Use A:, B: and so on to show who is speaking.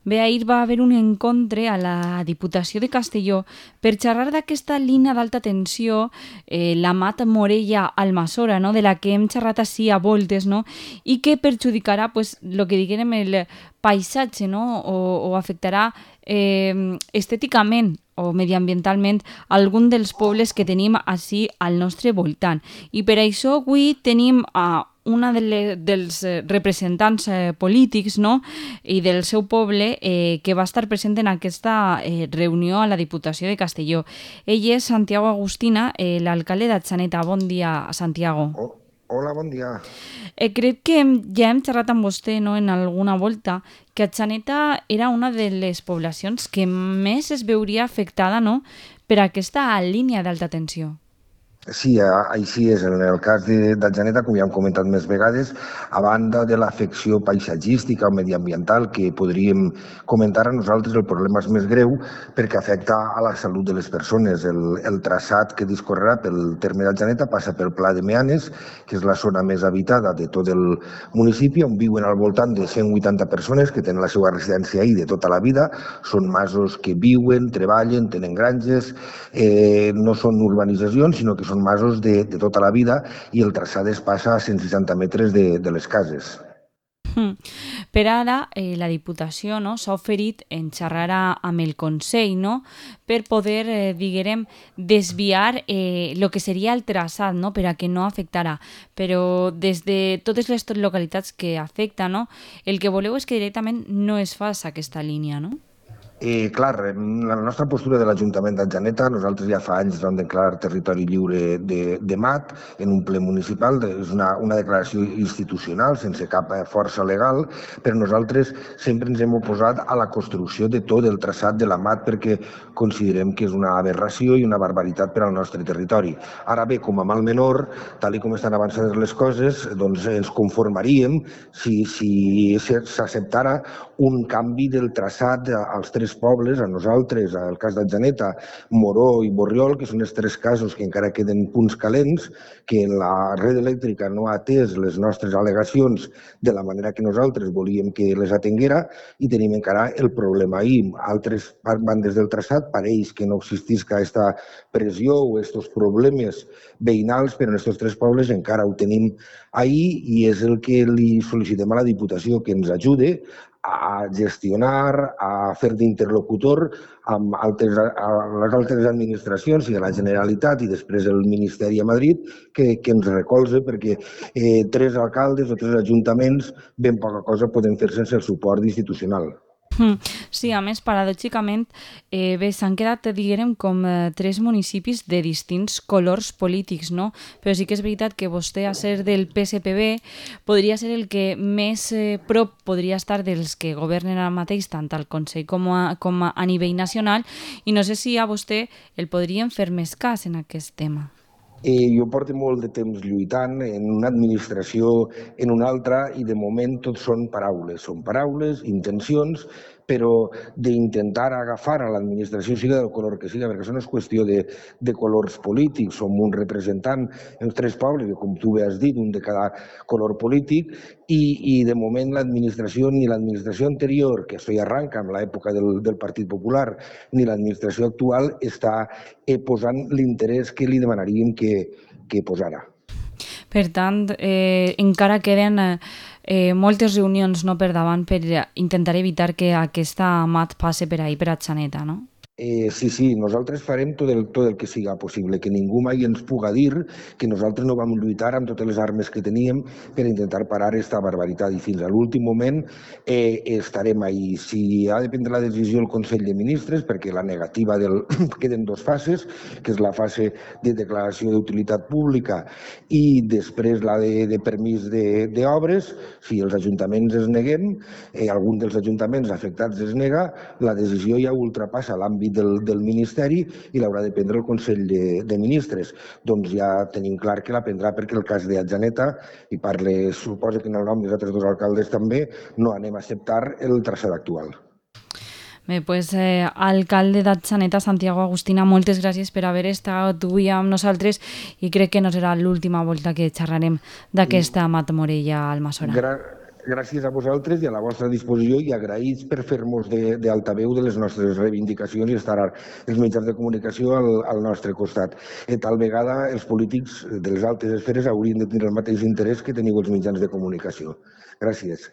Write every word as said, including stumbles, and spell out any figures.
A: Bé, ahir va haver un encontre a la Diputació de Castelló per xerrar d'aquesta línia d'alta tensió, eh, la Mat Morella-Almassora, no? De la que hem xerrat així a voltes, no? I que perjudicarà, pues, lo que diguem, el paisatge, no? o, o afectarà eh, estèticament o mediambientalment algun dels pobles que tenim així al nostre voltant. I per això avui tenim a una de les, dels representants eh, polítics, no? I del seu poble eh, que va estar present en aquesta eh, reunió a la Diputació de Castelló. Ell és Santiago Agustina, eh, l'alcalde d'Atxaneta. Bon dia, Santiago.
B: Oh, hola, bon dia.
A: Eh, crec que ja hem xerrat amb vostè, no?, en alguna volta, que Atxaneta era una de les poblacions que més es veuria afectada, no?, per aquesta línia d'alta tensió.
B: Sí, així és. En el cas d'Atxaneta, com ja hem comentat més vegades, a banda de l'afecció paisatgística o mediambiental que podríem comentar, a nosaltres el problema és més greu perquè afecta a la salut de les persones. El, el traçat que discorrerà pel terme d'Atxaneta passa pel Pla de Meanes, que és la zona més habitada de tot el municipi, on viuen al voltant de cent vuitanta persones que tenen la seva residència ahí de tota la vida. Són masos que viuen, treballen, tenen granges, eh, no són urbanitzacions, sinó que són masos de, de tota la vida, i el traçat es passa a cent seixanta metres de, de les cases.
A: Hmm. Per ara, eh, la Diputació, no, s'ha oferit en xerrar amb el Consell, no?, per poder, eh, diguem, desviar eh, el que seria el traçat, no?, per a que no afectarà. Però des de totes les localitats que afecta, no?, el que voleu és que directament no es faci aquesta línia, no?
B: Eh, clar, la nostra postura de l'Ajuntament d'Atxaneta, nosaltres ja fa anys vam declarar territori lliure de, de mat en un ple municipal, és una, una declaració institucional sense cap força legal, però nosaltres sempre ens hem oposat a la construcció de tot el traçat de la mat perquè considerem que és una aberració i una barbaritat per al nostre territori. Ara bé, com a mal menor, tal com estan avançades les coses, doncs ens conformaríem si, si s'acceptara un canvi del traçat als tres pobles, a nosaltres, al cas d'Atxaneta, Moró i Borriol, que són els tres casos que encara queden punts calents, que la red elèctrica no ha atès les nostres al·legacions de la manera que nosaltres volíem que les atenguera, i tenim encara el problema ahí. Altres bandes del traçat pareix que no existís aquesta pressió o aquests problemes veïnals, però en aquests tres pobles encara ho tenim ahí, i és el que li sol·licitem a la Diputació, que ens ajude a gestionar, a fer d'interlocutor amb altres, les altres administracions i a la Generalitat i després el Ministeri a Madrid, que, que ens recolze, perquè eh, tres alcaldes o tres ajuntaments ben poca cosa poden fer sense el suport institucional.
A: Sí, a més, paradòxicament, eh, bé, s'han quedat, diguem, com eh, tres municipis de distints colors polítics, no? Però sí que és veritat que vostè, a ser del P S P B, podria ser el que més eh, prop podria estar dels que governen ara mateix, tant al Consell com a, com a nivell nacional, i no sé si a vostè el podrien fer més cas en aquest tema.
B: Eh, jo porto molt de temps lluitant en una administració, en una altra, i de moment tot són paraules. Són paraules, intencions, però d'intentar agafar a l'administració, siga del color que siga, perquè això no és qüestió de, de colors polítics, som un representant en tres pobles, com tu bé has dit, un de cada color polític, i, i de moment l'administració, ni l'administració anterior, que això ja arranca amb l'època del, del Partit Popular, ni l'administració actual està eh, posant l'interès que li demanaríem que, que posara.
A: Per tant, eh, encara queden eh, eh, moltes reunions, no, per davant per intentar evitar que aquesta mat passe per ahí, per Atxaneta, no?
B: Eh, sí, sí, nosaltres farem tot el, tot el que siga possible, que ningú mai ens puga dir que nosaltres no vam lluitar amb totes les armes que teníem per intentar parar aquesta barbaritat, i fins a l'últim moment eh, estarem ahí. Si ha de prendre la decisió el Consell de Ministres, perquè la negativa del... queden dues fases, que és la fase de declaració d'utilitat pública i després la de, de permís d'obres, si els ajuntaments es neguem, eh, algun dels ajuntaments afectats es nega, la decisió ja ultrapassa l'àmbit Del, del Ministeri i l'haurà de prendre el Consell de, de Ministres. Doncs ja tenim clar que la prendrà, perquè el cas d'Atxaneta, i parle, suposa que en el nom dels altres dos alcaldes també, no anem a acceptar el traçat actual.
A: Bé, doncs, eh, alcalde d'Atxaneta, Santiago Agustina, moltes gràcies per haver estat avui amb nosaltres, i crec que no serà l'última volta que xerrarem d'aquesta Mat Morella-Almassora.
B: Gra gràcies a vosaltres i a la vostra disposició i agraïts per fer-nos d'altaveu de, de les nostres reivindicacions i estar els mitjans de comunicació al, al nostre costat. I tal vegada els polítics de les altes esferes haurien de tenir el mateix interès que teniu els mitjans de comunicació. Gràcies.